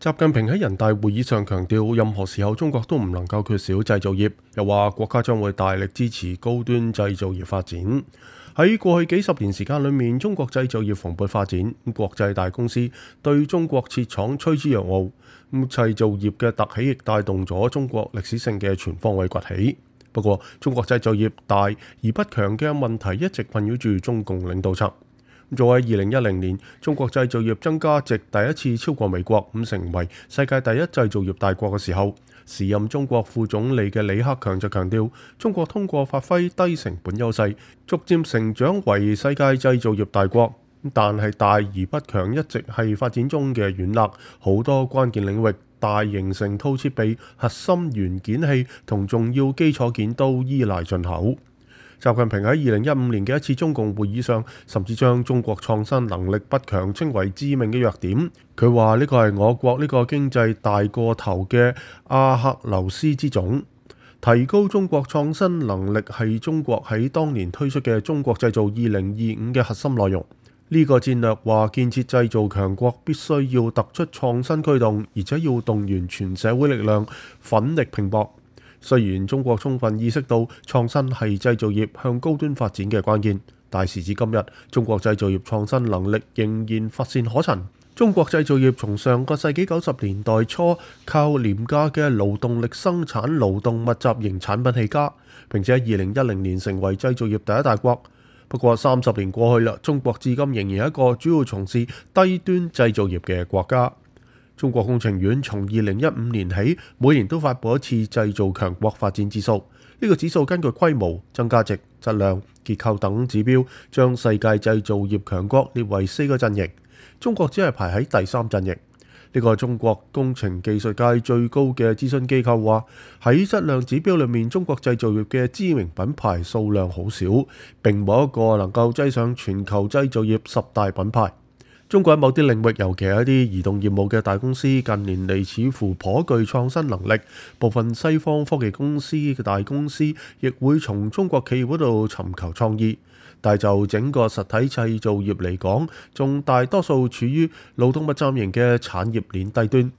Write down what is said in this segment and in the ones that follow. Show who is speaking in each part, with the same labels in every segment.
Speaker 1: 習近平喺人大會議上強調，任何時候中國都唔能夠缺少製造業，又話國家將會大力支持高端製造業發展。喺過去幾十年時間裏面，中國製造業蓬勃發展，國際大公司對中國設廠趨之若鶩。製造業嘅突起亦帶動咗中國歷史性嘅全方位崛起。不過，中國製造業大而不強嘅問題一直困擾住中共領導層。早喺2010年，中國製造業增加值第一次超過美國，成為世界第一製造業大國嘅時候，時任中國副總理嘅李克強就強調，中國通過發揮低成本優勢，逐漸成長為世界製造業大國。但係大而不強一直係發展中嘅軟肋，好多關鍵領域，大型成套設備、核心元件器同重要基礎件都依賴進口。習近平喺2015年嘅一次中共會議上，甚至將中國創新能力不強稱為致命嘅弱點。佢話呢個係我國呢個經濟大過頭嘅阿克琉斯之種。提高中國創新能力係中國喺當年推出嘅中國製造2025嘅核心內容。呢個戰略話建設製造強國必須要突出創新驅動，而且要動員全社會力量，奮力拼搏。雖然中國充分意識到創新係製造業向高端發展嘅關鍵，但時至今日，中國製造業創新能力仍然乏善可陳。中國製造業從上個世紀90年代初靠廉價嘅勞動力生產勞動密集型產品起家，並且喺2010年成為製造業第一大國。不過30年過去啦，中國至今仍然係一個主要從事低端製造業嘅國家。中國工程院從2015年起，每年都發布一次製造強國發展指數。呢個指數根據規模、增加值、質量、結構等指標，將世界製造業強國列為4個陣營。中國只係排喺第3陣營。呢個中國工程技術界最高嘅諮詢機構話，喺質量指標裏面，中國製造業嘅知名品牌數量好少，並冇一個能夠擠上全球製造業10大品牌。中國喺某啲領域，尤其係一啲移動業務嘅大公司，近年嚟似乎頗具創新能力。部分西方科技公司嘅大公司亦會從中國企業嗰度尋求創意，但係就整個實體製造業嚟講，仲大多數處於勞動密集型嘅產業鏈低端。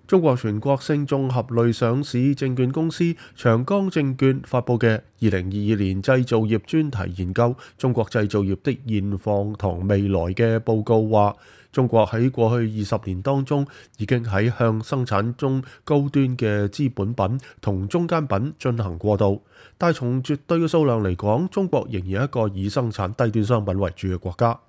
Speaker 1: 中國全國性綜合類上市證券公司長江證券發布嘅2022年製造業專題研究《中國製造業的現況同未來》嘅報告話，中國喺過去20年當中已經喺向生產中高端嘅資本品同中間品進行過渡，但係從絕對嘅數量嚟講，中國仍然係一個以生產低端商品為主嘅國家。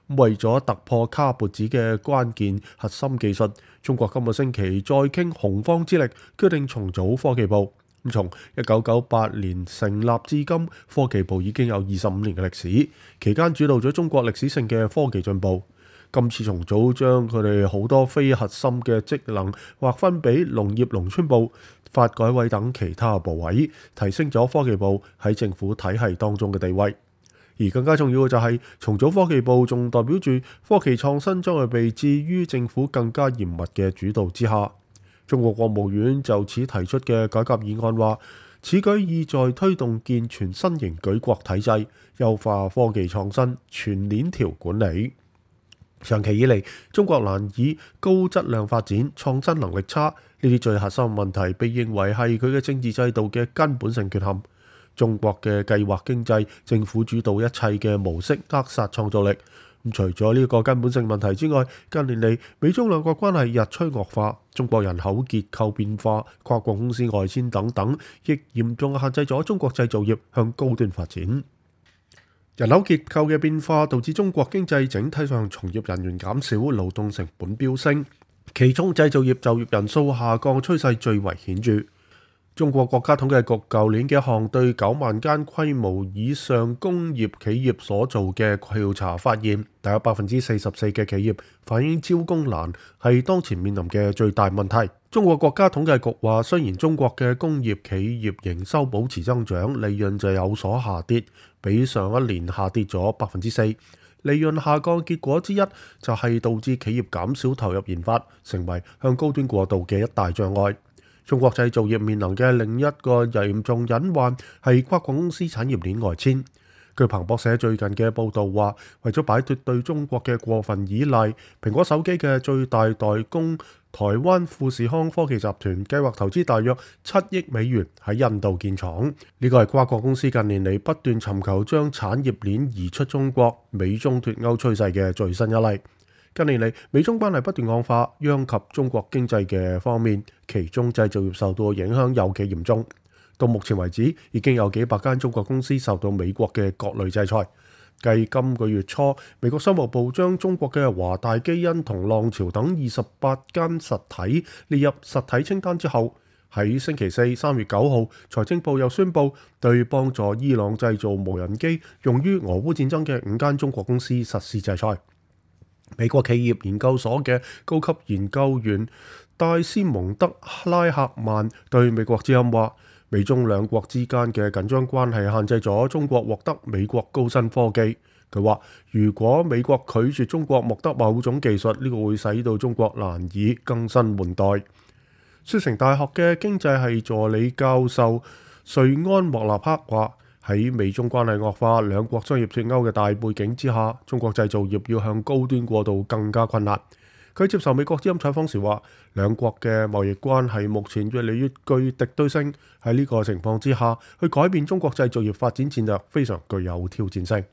Speaker 1: 為咗突破卡脖子嘅關鍵核心技術，中國今個星期再傾洪荒之力，決定重組科技部。從1998年成立至今，科技部已經有25年嘅歷史，期間主導咗中國歷史性嘅科技進步。今次重組將佢哋好多非核心嘅職能劃分俾農業農村部、發改委等其他部委，提升咗科技部喺政府體系當中嘅地位。而更加重要嘅就係重組科技部，仲代表住科技創新將會被置於政府更加嚴密嘅主導之下。中國國務院就此提出嘅改革議案話，此舉意在推動健全新型舉國體制，優化科技創新全鏈條管理。長期以嚟，中國難以高質量發展，創新能力差，呢啲最核心問題被認為係佢嘅政治制度嘅根本性缺陷。中國嘅計劃經濟、政府主導一切嘅模式扼殺創造力。除咗呢個根本性問題之外，近年嚟美中兩國關係日趨惡化，中國人口結構變化、跨國公司外遷等等，亦嚴重限制咗中國製造業向高端發展。人口結構嘅變化導致中國經濟整體上從業人員減少，勞動成本飆升，其中製造業就業人數下降趨勢最為顯著。中國國家統計局舊年嘅一項對9萬間規模以上工業企業所做嘅調查發現，大約44%嘅企業反映招工難係當前面臨嘅最大問題。中國國家統計局話，雖然中國嘅工業企業營收保持增長，利潤就有所下跌，比上一年下跌咗4%。利潤下降結果之一就係導致企業減少投入研發，成為向高端過渡嘅一大障礙。中國製造業面臨嘅另一個嚴重隱患係跨國公司產業鏈外遷。據彭博社最近嘅報導話，為咗擺脫對中國嘅過分依賴，蘋果手機嘅最大代工台灣富士康科技集團計劃投資大約7億美元喺印度建廠。呢個係跨國公司近年嚟不斷尋求將產業鏈移出中國、美中脫鈎趨勢嘅最新一例。近年嚟，美中關係不斷惡化，殃及中國經濟嘅方面，其中製造業受到影響尤其嚴重。到目前為止，已經有幾百間中國公司受到美國嘅各類制裁。繼今個月初，美國商務部將中國嘅華大基因同浪潮等28間實體列入實體清單之後，喺星期四3月9號，財政部又宣布對幫助伊朗製造無人機用於俄烏戰爭嘅5間中國公司實施制裁。美國企業研究所嘅高級研究員戴斯蒙德拉克曼對美國之音話：美中兩國之間嘅緊張關係限制咗中國獲得美國高新科技。佢話：如果美國拒絕中國獲得某種技術，呢個會使到中國難以更新換代。雪城大學嘅經濟系助理教授瑞安莫納克話：喺美中關係惡化、兩國商業脫鈎嘅大背景之下，中國製造業要向高端過渡更加困難。佢接受美國之音採訪時話：兩國嘅貿易關係目前越嚟越具敵對性，喺呢個情況之下，去改變中國製造業發展戰略非常具有挑戰性。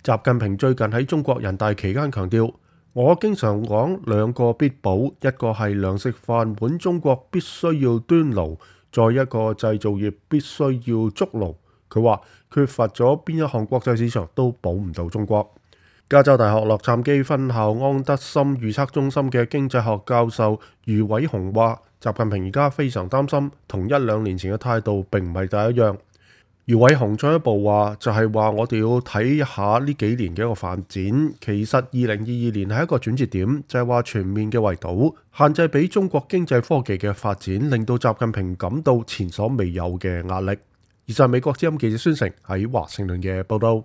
Speaker 1: 習近平最近喺中國人大期間強調：我經常講兩個必保，一個係糧食飯碗，中國必須要端爐；再一個製造業必須要築爐。佢話缺乏咗邊一項國際市場都保唔到中國。加州大學洛杉磯分校安德森預測中心嘅經濟學教授余偉雄話：習近平而家非常擔心，同1-2年前嘅態度並唔係第一樣。余偉雄進一步話，就係話我哋要睇一下呢幾年嘅一個發展。其實2022年係一個轉折點，就係話全面嘅圍堵限制俾中國經濟科技嘅發展，令到習近平感到前所未有嘅壓力。以上美國之音記者孫成喺華盛頓嘅報道。